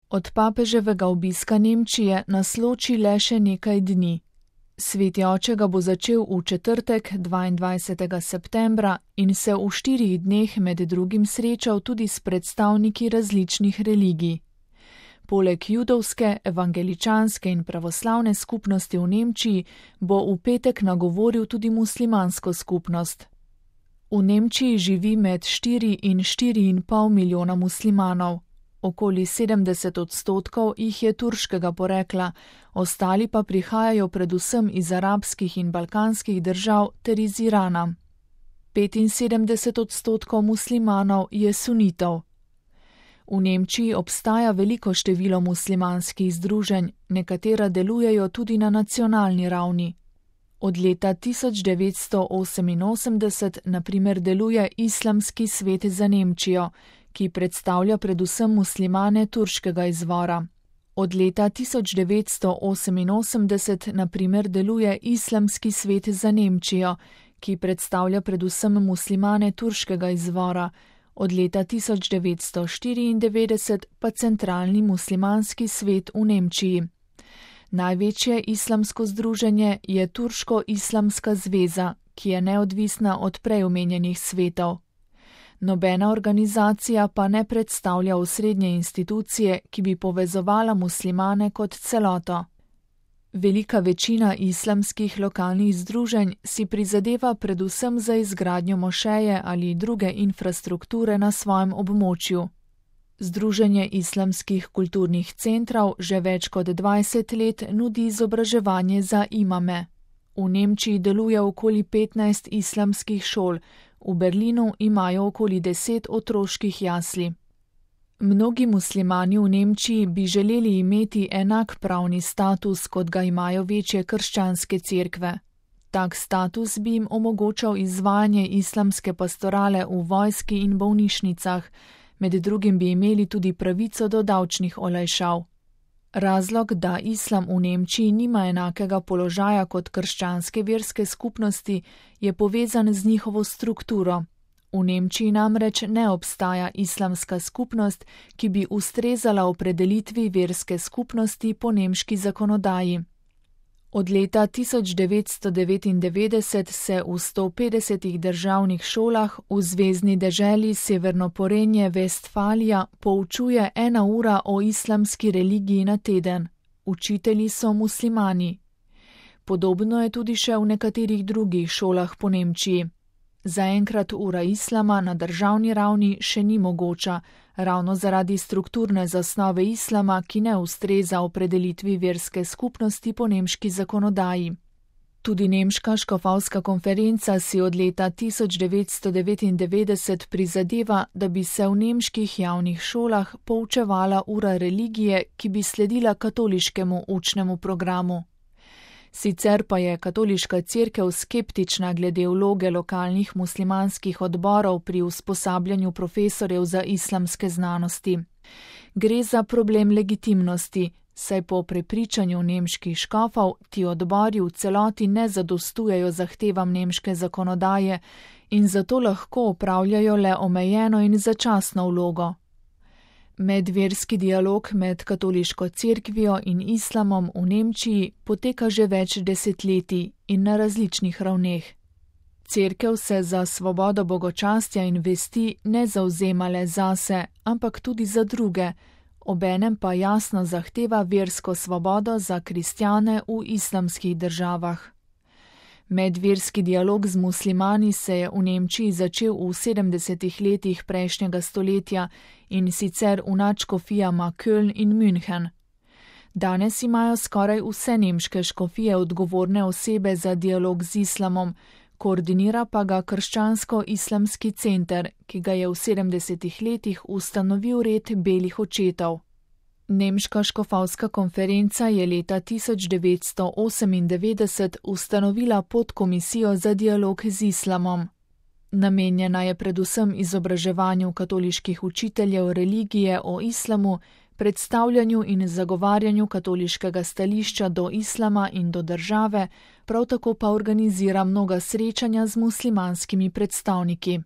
Od papeževega obiska Nemčije nas loči le še nekaj dni. Sveti oče ga bo začel v četrtek, 22. septembra, in se v 4 dneh med drugim srečal tudi s predstavniki različnih religij. Poleg judovske, evangeličanske in pravoslavne skupnosti v Nemčiji bo v petek nagovoril tudi muslimansko skupnost. V Nemčiji živi med 4 in 4,5 milijona muslimanov. Okoli 70% jih je turškega porekla, ostali pa prihajajo predvsem iz arabskih in balkanskih držav ter iz Irana. 75% muslimanov je sunitov. V Nemčiji obstaja veliko število muslimanskih združenj, nekatera delujejo tudi na nacionalni ravni. Od leta 1988 na primer deluje Islamski svet za Nemčijo, ki predstavlja predvsem muslimane turškega izvora. Od leta 1988 na primer deluje Islamski svet za Nemčijo, ki predstavlja predvsem muslimane turškega izvora. Od leta 1994 pa Centralni muslimanski svet v Nemčiji. Največje islamsko združenje je Turško-islamska zveza, ki je neodvisna od prej omenjenih svetov. Nobena organizacija pa ne predstavlja osrednje institucije, ki bi povezovala muslimane kot celoto. Velika večina islamskih lokalnih združenj si prizadeva predvsem za izgradnjo mošeje ali druge infrastrukture na svojem območju. Združenje islamskih kulturnih centrov že več kot 20 let nudi izobraževanje za imame. V Nemčiji deluje okoli 15 islamskih šol, v Berlinu imajo okoli 10 otroških jasli. Mnogi muslimani v Nemčiji bi želeli imeti enak pravni status, kot ga imajo večje krščanske cerkve. Tak status bi jim omogočal izvajanje islamske pastorale v vojski in bolnišnicah, med drugim bi imeli tudi pravico do davčnih olajšav. Razlog, da islam v Nemčiji nima enakega položaja kot krščanske verske skupnosti, je povezan z njihovo strukturo. V Nemčiji namreč ne obstaja islamska skupnost, ki bi ustrezala opredelitvi verske skupnosti po nemški zakonodaji. Od leta 1999 se v 150 državnih šolah v zvezni deželi Severno Porenje-Vestfalija poučuje 1 ura o islamski religiji na teden. Učitelji so muslimani. Podobno je tudi še v nekaterih drugih šolah po Nemčiji. Zaenkrat ura islama na državni ravni še ni mogoča, ravno zaradi strukturne zasnove islama, ki ne ustreza opredelitvi verske skupnosti po nemški zakonodaji. Tudi nemška škofovska konferenca si od leta 1999 prizadeva, da bi se v nemških javnih šolah poučevala ura religije, ki bi sledila katoliškemu učnemu programu. Sicer pa je katoliška cerkev skeptična glede vloge lokalnih muslimanskih odborov pri usposabljanju profesorjev za islamske znanosti. Gre za problem legitimnosti, saj po prepričanju nemških škofov ti odbori v celoti ne zadostujejo zahtevam nemške zakonodaje in zato lahko opravljajo le omejeno in začasno vlogo. Medverski dialog med katoliško cerkvijo in islamom v Nemčiji poteka že več desetletij in na različnih ravneh. Cerkev se za svobodo bogočastja in vesti ne zavzema le zase, ampak tudi za druge, obenem pa jasno zahteva versko svobodo za kristjane v islamskih državah. Medverski dialog z muslimani se je v Nemčiji začel v 70. letih prejšnjega stoletja in sicer v nadškofijama Köln in München. Danes imajo skoraj vse nemške škofije odgovorne osebe za dialog z islamom, koordinira pa ga Krščansko-islamski center, ki ga je v 70. letih ustanovil red belih očetov. Nemška škofovska konferenca je leta 1998 ustanovila podkomisijo za dialog z islamom. Namenjena je predvsem izobraževanju katoliških učiteljev religije o islamu, predstavljanju in zagovarjanju katoliškega stališča do islama in do države, prav tako pa organizira mnoga srečanja z muslimanskimi predstavniki.